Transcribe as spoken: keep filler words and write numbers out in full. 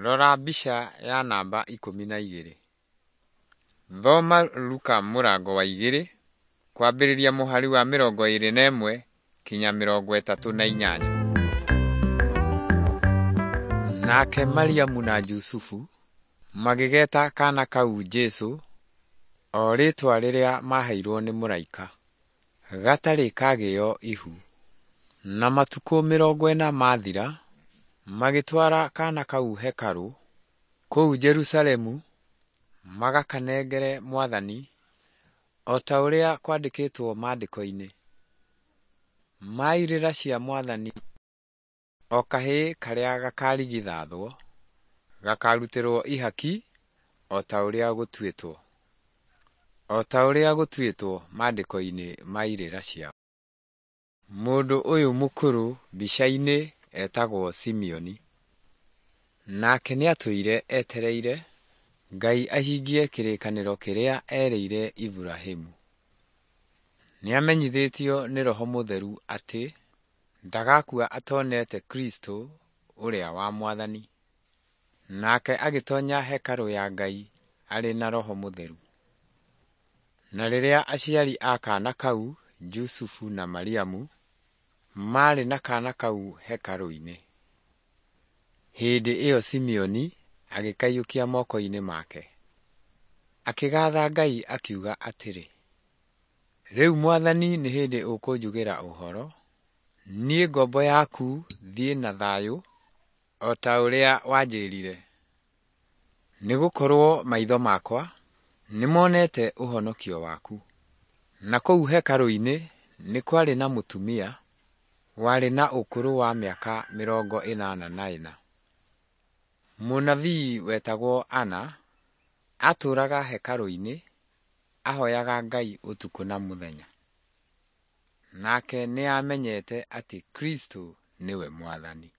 Rora mbica ya namba ikũmi na igĩrĩ. Thoma Luka mũrango wa igĩrĩ kwambĩrĩria mũhari wa mĩrongo ĩrĩ na ĩmwe kinya mĩrongo ĩtatũ na inyanya. Nake Mariamu na Jusufu magĩgeta kaana kau Jesũ, o rĩĩtwa rĩrĩa maaheirwo nĩ mũraika, gatarĩ kagĩo ihu. Na matukũ mĩrongo ĩna mathira, magĩtwara kaana kau hekarũ kũu Jerusalemu magakanengere Mwathani, o ta ũrĩa kwandĩkĩtwo Maandĩko-inĩ, ma irĩra cia Mwathani, o kahĩĩ karĩa gakarigithathwo gakarutĩrwo ihaki o ta ũrĩa gũtuĩtwo, o ta ũrĩa gũtuĩtwo Maandĩko-inĩ ma irĩra ciao. Mũndũ ũyũ mũkũrũ mbica-inĩ etagwo Simeoni. Nake nĩatũire etereire Ngai ahingie kĩrĩkanĩro kĩrĩa erĩire Iburahĩmu. Nĩamenyithĩtio nĩ Roho Mũtheru atĩ ndagakua atonete Kristũ ũrĩa wa Mwathani. Nake agĩtonya hekarũ ya Ngai arĩ na Roho Mũtheru. Na rĩrĩa aciari a kaana kau, Jusufu na Mariamu, maarĩ na kaana kau hekarũ-inĩ, hĩndĩ ĩyo Simeoni agĩkaiyũkia moko-inĩ make. Akĩgaatha Ngai akiuga atĩrĩ, Rĩu Mwathani nĩ hĩndĩ ũkũnjugĩra ũhoro, niĩ ngombo yaku thiĩ na thayũ o ta ũrĩa wanjĩrire. Nĩgũkorwo maitho makwa nĩmonete ũhonokio waku. Na kũu hekarũ-inĩ nĩ kwarĩ na mũtumia warĩ na ũkũrũ wa mĩaka mĩrongo ĩnana na ĩna. Mũnabii wetagwo Anna aatũũraga hekarũ-inĩ ahoyaga Ngai ũtukũ na mũthenya. Nake nĩamenyete atĩ Kristũ nĩwe Mwathani.